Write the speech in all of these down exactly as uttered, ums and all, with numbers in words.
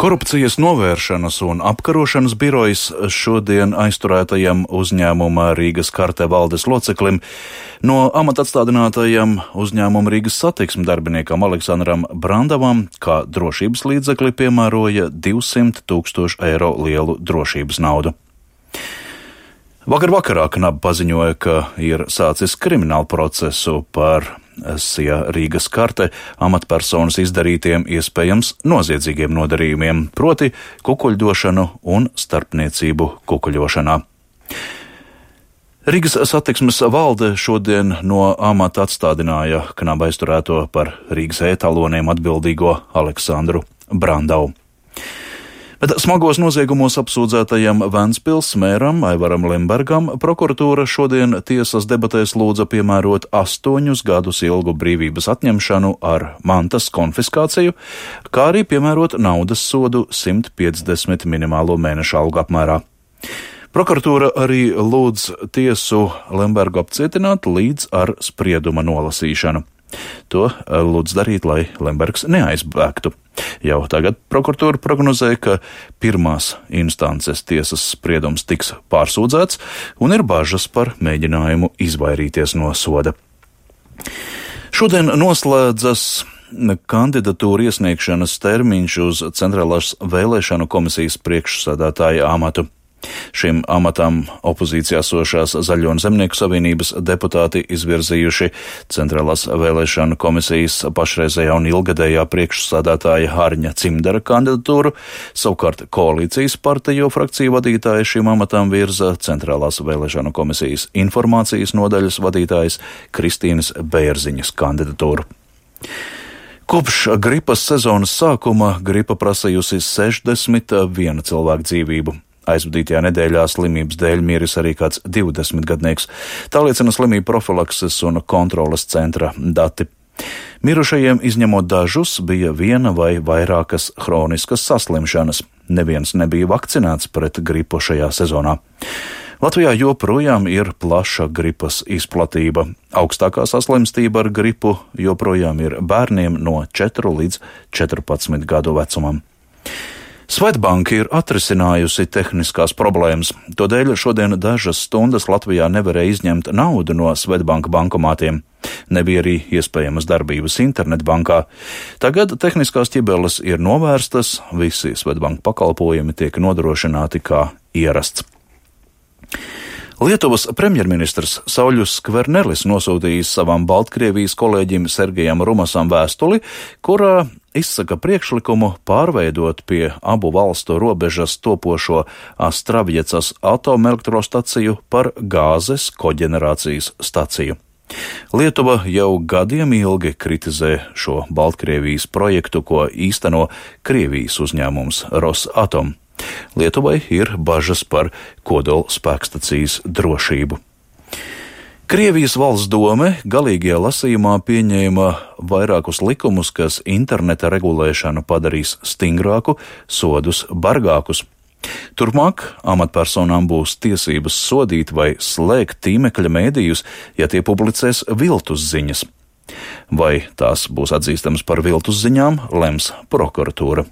Korupcijas novēršanas un apkarošanas birojs šodien aizturētajam uzņēmuma Rīgas Karte valdes loceklim no amata atstādinātajam uzņēmuma Rīgas Satiksmes darbiniekam Aleksandram Brandavam kā drošības līdzekli piemēroja divsimt tūkstošu eiro lielu drošības naudu. Vakar vakarā Knaba paziņoja, ka ir sācis kriminālu procesu par Sija Rīgas Karte amatpersonas izdarītiem iespējams noziedzīgiem nodarījumiem, proti kukuļdošanu un starpniecību kukuļošanā. Rīgas Satiksmes valde šodien no amata atstādināja Knaba aizturēto par Rīgas e-taloniem atbildīgo Aleksandru Brandavu. Bet smagos noziegumos apsūdzētajam Ventspils mēram Aivaram Lembergam prokuratūra šodien tiesas debatēs lūdza piemērot astoņus gadus ilgu brīvības atņemšanu ar mantas konfiskāciju, kā arī piemērot naudas sodu simt piecdesmit minimālo mēneša algu apmērā. Prokuratūra arī lūdz tiesu Lembergu apcietināt līdz ar sprieduma nolasīšanu. To lūdz darīt, lai Lembergs neaizbēgtu. Jau tagad prokuratūra prognozē, ka pirmās instances tiesas spriedums tiks pārsūdzēts un ir bažas par mēģinājumu izvairīties no soda. Šodien noslēdzas kandidatūru iesniegšanas termiņš uz Centrālās vēlēšanu komisijas priekšsēdētāja amatu. Šim amatam opozīcijā sošās Zaļo un Zemnieku savienības deputāti izvirzījuši Centrālās vēlēšanu komisijas pašreizējā un ilgadējā priekšsādātāja Hārņa Cimdara kandidatūru, savukārt koalīcijas partiju frakciju vadītāja šim amatam virza Centrālās vēlēšanu komisijas informācijas nodaļas vadītājas Kristīnas Bērziņas kandidatūru. Kopš gripas sezonas sākuma gripa prasījusi sešdesmit vienu cilvēku dzīvību. Aizvadītajā nedēļā slimības dēļ miris arī kāds divdesmitgadnieks. Tā liecina slimību profilakses un kontroles centra dati. Mirušajiem, izņemot dažus, bija viena vai vairākas hroniskas saslimšanas. Neviens nebija vakcinēts pret gripu šajā sezonā. Latvijā joprojām ir plaša gripas izplatība. Augstākā saslimstība ar gripu joprojām ir bērniem no četru līdz četrpadsmit gadu vecumam. Swedbank ir atrisinājusi tehniskās problēmas. Todēļ šodien dažas stundas Latvijā nevarēja izņemt naudu no Swedbank bankomātiem. Nebija arī iespējamas darbības internetbankā. Tagad tehniskās ķibeles ir novērstas, visi Swedbank pakalpojumi tiek nodrošināti kā ierasts. Lietuvas premjerministrs Sauļus Skvernelis nosūtījis savam Baltkrievijas kolēģim Sergejam Rumasam vēstuli, kurā izsaka priekšlikumu pārveidot pie abu valstu robežas topošo Astravjecas atomelektrostaciju par gāzes koģenerācijas staciju. Lietuva jau gadiem ilgi kritizē šo Baltkrievijas projektu, ko īsteno Krievijas uzņēmums Rosatom. Lietuvai ir bažas par kodola spēkstacijas drošību. Krievijas valsts dome galīgajā lasījumā pieņēma vairākus likumus, kas interneta regulēšanu padarīs stingrāku, sodus bargākus. Turpmāk amatpersonām būs tiesības sodīt vai slēgt tīmekļa mēdījus, ja tie publicēs viltus ziņas. Vai tās būs atzīstamas par viltus ziņām, lems prokuratūra.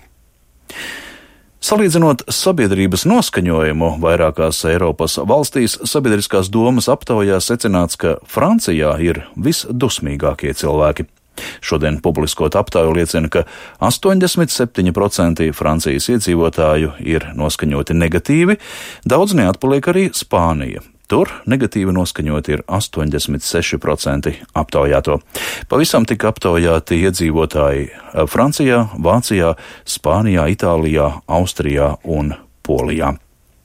Salīdzinot sabiedrības noskaņojumu vairākās Eiropas valstīs, sabiedriskās domas aptaujā secināts, ka Francijā ir visdusmīgākie cilvēki. Šodien publiskot aptauju liecina, ka astoņdesmit septiņi procenti Francijas iedzīvotāju ir noskaņoti negatīvi, daudz neatpaliek arī Spānija. Tur negatīvi noskaņoti ir astoņdesmit seši procenti aptaujāto. Pavisam tika aptaujāti iedzīvotāji Francijā, Vācijā, Spānijā, Itālijā, Austrijā un Polijā.